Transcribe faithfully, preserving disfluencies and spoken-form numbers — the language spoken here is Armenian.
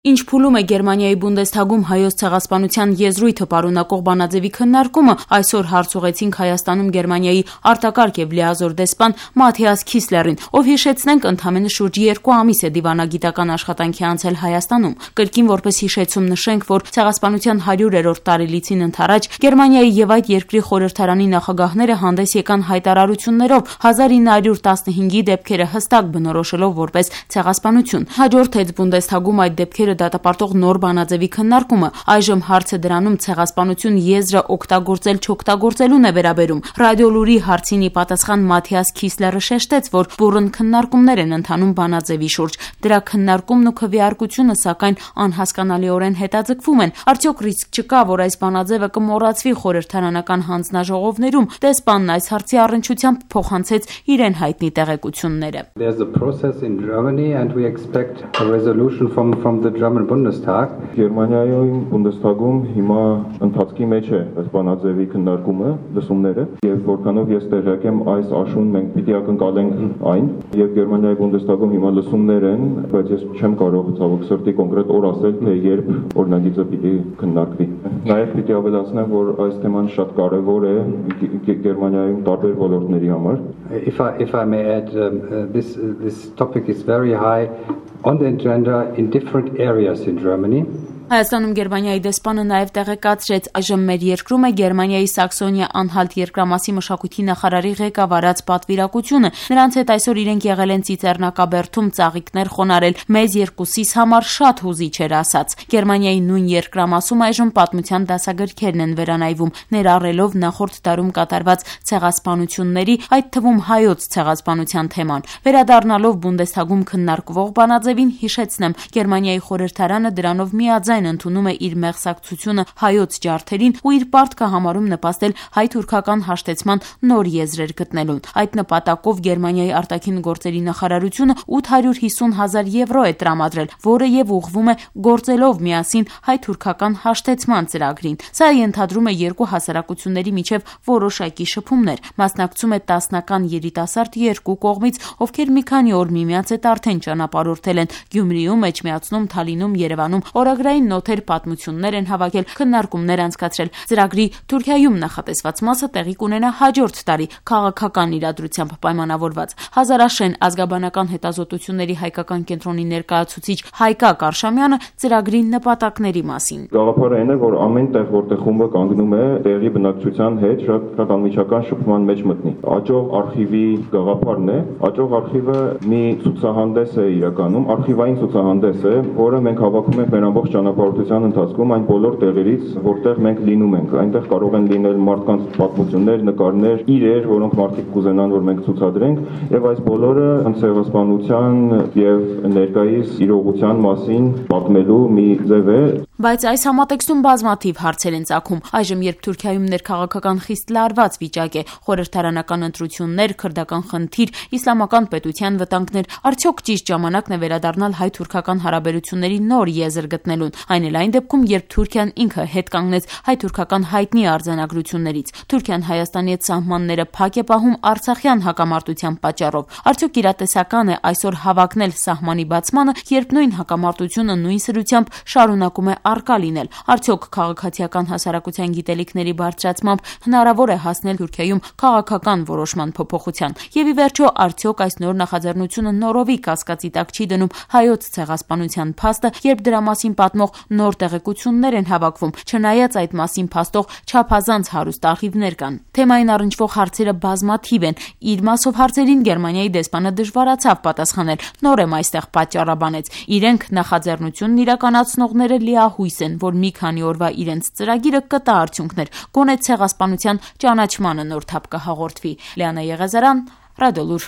Ինչ փուլում է Գերմանիայի Բունդեսթագում հայոց ցեղասպանության եզրույթը պարունակող բանաձևի քննարկումը, այսօր հարց ուղեցինք Հայաստանում Գերմանիայի արտակարգ եւ լիազոր դեսպան Մաթիաս Քիսլերին, ով հիշեցնենք ընդամենը շուրջ երկու ամիս է դիվանագիտական աշխատանքի անցել Հայաստանում։ Կրկին որպես հիշեցում նշենք, որ ցեղասպանության հարյուրերորդ տարելիցին ընթരാճ Գերմանիայի եւ այդ երկրի խորհրդարանի նախագահները հանդես եկան հայտարարություններով հազար ինը հարյուր տասնհինգի դեպքերը հստակ բնորոշելով որպես ցեղասպանություն։ Հաջորդեց Բունդեսթագում այդ դեպքերը դատապարտող նոր բանաձևի քննարկումը։ Այժմ հարցը դրանում ցեղասպանություն եզրը օգտագործել չօգտագործելուն է վերաբերում։ Ռադիոլուրի հարցին ի պատասխան Մաթիաս Քիսլերը շեշտեց, որ բուռն քննարկումներ են ընթանում բանաձևի շուրջ։ Դրա քննարկումն ու քվեարկությունը սակայն անհասկանալիորեն հետաձգվում են։ Արդյոք ռիսկ չկա, որ այս բանաձևը կմոռացվի խորհրդարանական հանձնաժողովներում։ Դեսպանն այս հարցի առնչությամբ փոխանցեց իրեն հայտնի տեղեկությունները։ There's a process in Germany and we expect a resolution from from the German Bundestag. Գերմանիայում Բունդեսթագում հիմա ընթացքի մեջ է այս բանաձևի քննարկումը, լսումները, եւ որքանով ես տեղյակ եմ, այս աշուն մենք պիտի ակնկալենք այն, եւ Գերմանիայի Բունդեսթագում հիմա լսումներ են, բայց ես չեմ կարող ցավոք սրտի կոնկրետ օր ասել, թե երբ օրինագիծը պիտի քննարկվի։ Նաեւ պիտի ավելացնեմ, որ այս թեման շատ կարեւոր է Գերմանիայում տարբեր ոլորտների համար։ If I if I may add, um, uh, this uh, this topic is very high on the agenda in different areas in Germany. Հայաստանում Գերմանիայի դեսպանը նաև տեղեկացրեց, այժմ մեր երկրում է Գերմանիայի Սաքսոնիա անհալտ երկրամասի մշակույթի նախարարի ղեկավարած պատվիրակությունը։ Նրանց հետ այսօր իրենք եղել են Ծիծեռնակաբերդում ծաղիկներ խոնարել, մեզ երկուսիս համար շատ հուզիչ էր ասաց։ Գերմանիայի նույն երկրամասում այժմ պատմության դասագրքերն են վերանայվում, ներառելով նախորդ դարում կատարված ցեղասպանությունների, այդ թվում հայոց ցեղասպանության թեման։ Վերադառնալով Բունդեսթագում քննարկվող բանաձևին հիշեցնեմ, Գերմանիայի խորհրդարանը դրանով միաձայն ընդունում է իր մեղսակցությունը հայոց ջարդերին ու իր պարտքը համարում նպաստել հայ-թուրքական հաշտեցման նոր եզրեր գտնելուն։ Այդ նպատակով Գերմանիայի արտաքին գործերի նախարարությունը ութ հարյուր հիսուն հազար եվրո է տրամադրել, որը եւ ուղղվում է գործելով միասին հայ-թուրքական հաշտեցման ծրագրին։ Սա ենթադրում է երկու հասարակությունների միջև որոշակի շփումներ։ Մասնակցում է տասնական երիտասարդ երկու կողմից, ովքեր մի քանի օր միմյանց հետ արդեն ճանապարհորդել են Գյումրիում, Էջմիածնում, Թալինում, Երևանում, օրագրային նոթեր պատմություններ են հավաքել, քննարկումներ անցկացրել։ Ծրագրի Թուրքիայում նախատեսված մասը տեղի կունենա հաջորդ տարի քաղաքական իրադրությամբ պայմանավորված։ Հազարաշեն ազգաբանական հետազոտությունների հայկական կենտրոնի ներկայացուցիչ Հայկա Կարշամյանը ծրագրի նպատակների մասին։ Գաղափարը այն է, որ ամեն տեղ, որտեղ խումբը կանգնում է, տեղի բնակչության հետ շատ շատ անմիջական շփման մեջ մտնի։ Աճող արխիվի գաղափարն է։ Աճող արխիվը մի ցուցահանդես է իրականում, արխիվային ցուցահանդես է, որը մենք հավաքում ենք մեր ամբողջ ճանապարհորդության ընթացքում այն բոլոր տեղերից, որտեղ մենք լինում ենք։ Այնտեղ կարող են լինել մարդկանց պատմություններ, նկարներ, իրեր, որոնք մարդիկ կուզենան, որ մենք ցուցադրենք, եւ այս բոլորը ցեղասպանության եւ ներկայիս իրողության մասին պատմելու մի ձև է։ Բայց այս համատեքստում բազմաթիվ հարցեր են ծագում։ Այժմ, երբ Թուրքիայում ներքաղաքական խիստ լարված վիճակ է, խորհրդարանական ընտրություններ, քրդական խնդիր, իսլամական պետության վտանգներ, արդյոք ճիշտ ժամանակն է վերադառնալ հայ-թուրքական հարաբերությունների նոր եզր գտնելուն, այն էլ այն դեպքում, երբ Թուրքիան ինքը հետ կանգնեց հայ-թուրքական հայտնի արձանագրություններից։ Թուրքիան Հայաստանի հետ սահմանները փակ է պահում արցախյան հակամարտության պատճառով։ Արդյոք իրատեսական է այսօր հավակնել սահմանի բացմանը, երբ նույն հակամարտությունը նույն սրությամբ շարունակում է արկա լինել։ Արդյոք քաղաքացիական հասարակության գիտելիքների բարձրացմամբ հնարավոր է հասնել Թուրքիայում քաղաքական որոշման փոփոխության։ Եվ ի վերջո, արդյոք այս նոր նախաձեռնությունը նորովի կասկածի տակ չի դնում հայոց ցեղասպանության փաստը, երբ դրա մասին պատմող նոր տեղեկություններ են հավաքվում, չնայած այդ մասին փաստող չափազանց հարուստ արխիվներ կան։ Թեմային առնչվող հարցերը բազմաթիվ են։ Իր մասով հարցերին Գերմանիայի դեսպանը դժվարացավ պատասխանել։ Նոր եմ այստեղ պատճառաբանեց։ Իրենք նախաձեռնությունն իրականացնողները լիահույս են, որ մի քանի օրվա իրենց ծրագիրը կտա արդյունքներ, գոնե ցեղասպանության ճանաչմանը նոր թափ կհաղորդվի։ Լիանա Եղեզարյան, Ռադիոլուր։